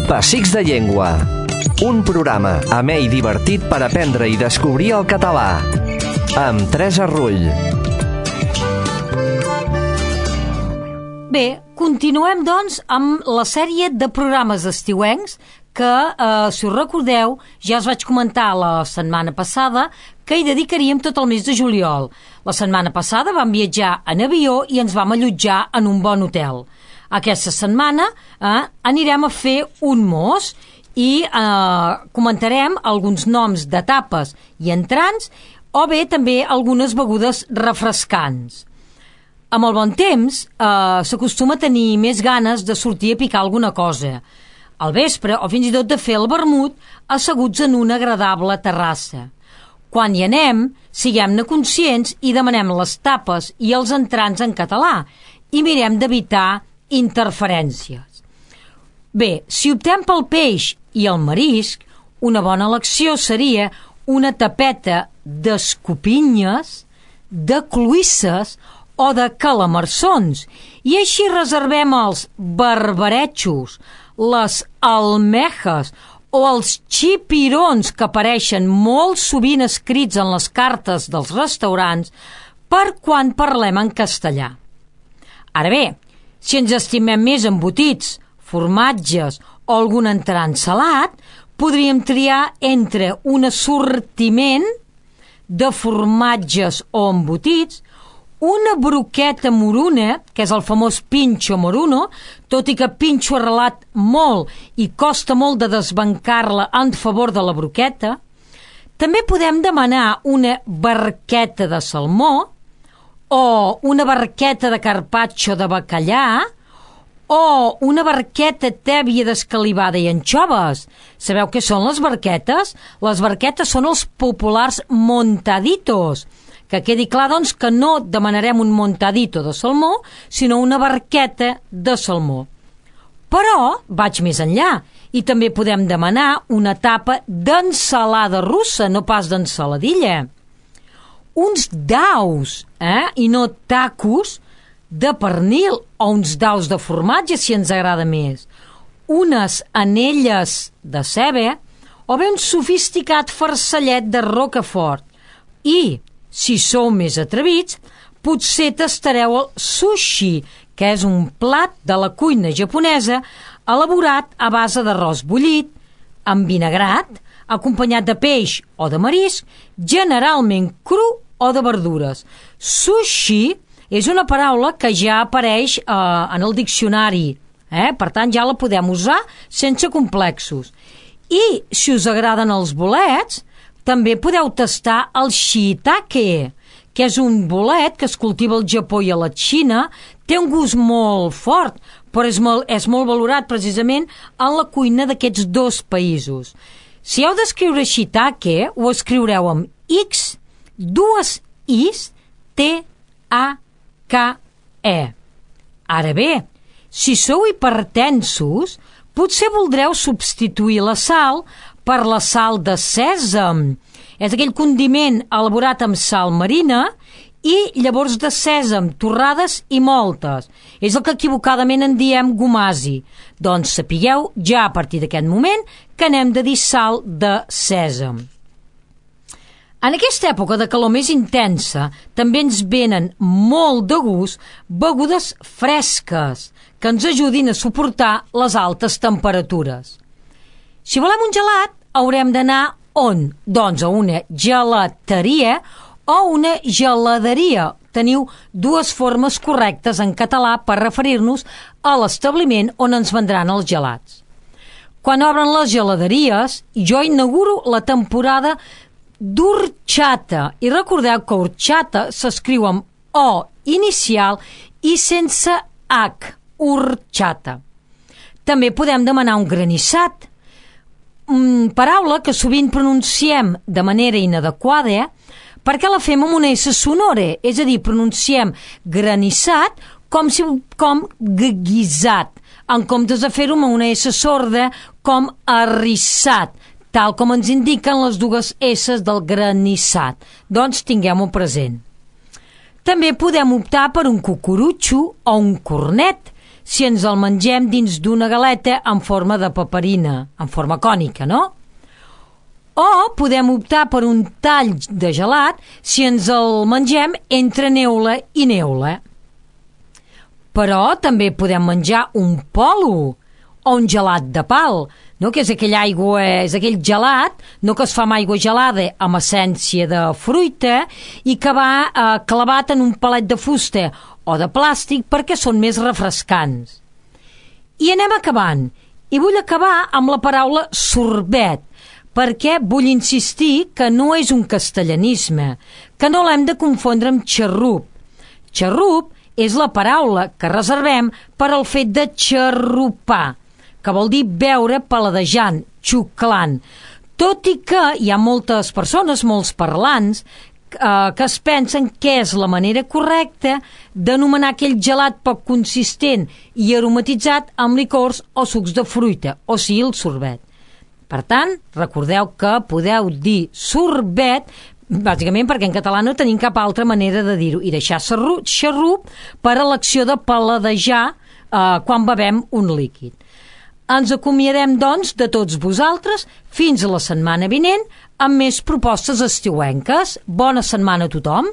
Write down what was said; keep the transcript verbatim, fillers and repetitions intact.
Pessics de Llengua. Un programa amè i divertit per aprendre i descobrir el català. Amb Teresa Rull. Bé, continuem, doncs, amb la sèrie de programes estiuencs que, eh, si us recordeu, ja us vaig comentar la setmana passada que hi dedicaríem tot el mes de juliol. La setmana passada vam viatjar en avió i ens vam allotjar en un bon hotel. Aquesta setmana eh, anirem a fer un mos i eh, comentarem alguns noms d'etapes i entrants o bé també algunes begudes refrescants. Amb el bon temps eh, s'acostuma a tenir més ganes de sortir a picar alguna cosa, al vespre o fins i tot de fer el vermut asseguts en una agradable terrassa. Quan hi anem, siguem-ne conscients i demanem les tapes i els entrants en català i mirem d'evitar interferències. Bé, si optem pel peix i el marisc, una bona elecció seria una tapeta d'escopinyes, de cloïsses o de calamarsons, i així reservem els barbaretxos, les almejes o els xipirons que apareixen molt sovint escrits en les cartes dels restaurants per quan parlem en castellà. Ara bé, si ens estimem més embotits, formatges o algun entrant salat, podríem triar entre un assortiment de formatges o embotits, una broqueta moruna, que és el famós pincho moruno, tot i que pincho arrelat molt i costa molt de desbancar-la en favor de la broqueta. També podem demanar una barqueta de salmó o una barqueta de carpaccio de bacallà o una barqueta tèbia d'escalivada i anxoves. Sabeu què són les barquetes? Les barquetes són els populars montaditos. Que quedi clar, doncs, que no demanarem un montadito de salmó, sinó una barqueta de salmó. Però vaig més enllà i també podem demanar una tapa d'ensalada russa, no pas d'ensaladilla. Uns daus, eh? I no tacos de pernil o uns daus de formatge, si ens agrada més. Unes anelles de ceba o bé un sofisticat farcellet de rocafort. I si sou més atrevits, potser tastareu el sushi, que és un plat de la cuina japonesa elaborat a base d'arròs bullit, envinagrat, acompanyat de peix o de marisc, generalment cru o de verdures. Sushi és una paraula que ja apareix eh, en el diccionari, eh? Per tant ja la podem usar sense complexos. I si us agraden els bolets, també podeu tastar el shiitake, que és un bolet que es cultiva al Japó i a la Xina, té un gust molt fort, però és molt, és molt valorat precisament en la cuina d'aquests dos països. Si heu d'escriure shiitake, ho escriureu amb X, dues Is, T A K E. Ara bé, si sou hipertensos, potser voldreu substituir la sal per la sal de sèsam. És aquell condiment elaborat amb sal marina i llavors de sèsam, torrades i moltes. És el que equivocadament en diem gomasi. Doncs sapigueu ja a partir d'aquest moment que n'hem de dir sal de sèsam. En aquesta època de calor més intensa també ens venen molt de gust begudes fresques que ens ajudin a suportar les altes temperatures. Si volem un gelat, haurem d'anar on? Doncs a una gelateria o una geladeria. Teniu dues formes correctes en català per referir-nos a l'establiment on ens vendran els gelats. Quan obren les geladeries, jo inauguro la temporada d'orxata. I recordeu que orxata s'escriu amb O inicial i sense H, orxata. També podem demanar un granissat, Mm, paraula que sovint pronunciem de manera inadequada perquè la fem amb una S sonora, és a dir, pronunciem granissat com, si, com guisat, en comptes de fer-ho amb una S sorda com arrissat, tal com ens indiquen les dues S del granissat. Doncs tinguem-ho present. També podem optar per un cucurutxo o un cornet, si ens el mengem dins d'una galeta en forma de paperina, en forma cònica, no? O podem optar per un tall de gelat si ens el mengem entre neula i neula. Però també podem menjar un polo o un gelat de pal, no? Que és aquella aigua, és aquell gelat, no, que es fa amb aigua gelada amb essència de fruita i que va eh, clavat en un palet de fusta o de plàstic perquè són més refrescants. I anem acabant. I vull acabar amb la paraula sorbet, perquè vull insistir que no és un castellanisme, que no l'hem de confondre amb xarrup. Xarrup és la paraula que reservem per al fet de xarrupar, que vol dir beure paladejant, xuclant. Tot i que hi ha moltes persones, molts parlants, eh, que es pensen que és la manera correcta d'anomenar aquell gelat poc consistent i aromatitzat amb licors o sucs de fruita, o sigui, el sorbet. Per tant, recordeu que podeu dir sorbet bàsicament perquè en català no tenim cap altra manera de dir-ho, i deixar xarrup per a l'acció de paladejar eh, quan bevem un líquid. Ens acomiadem, doncs, de tots vosaltres fins a la setmana vinent amb més propostes estiuenques. Bona setmana a tothom!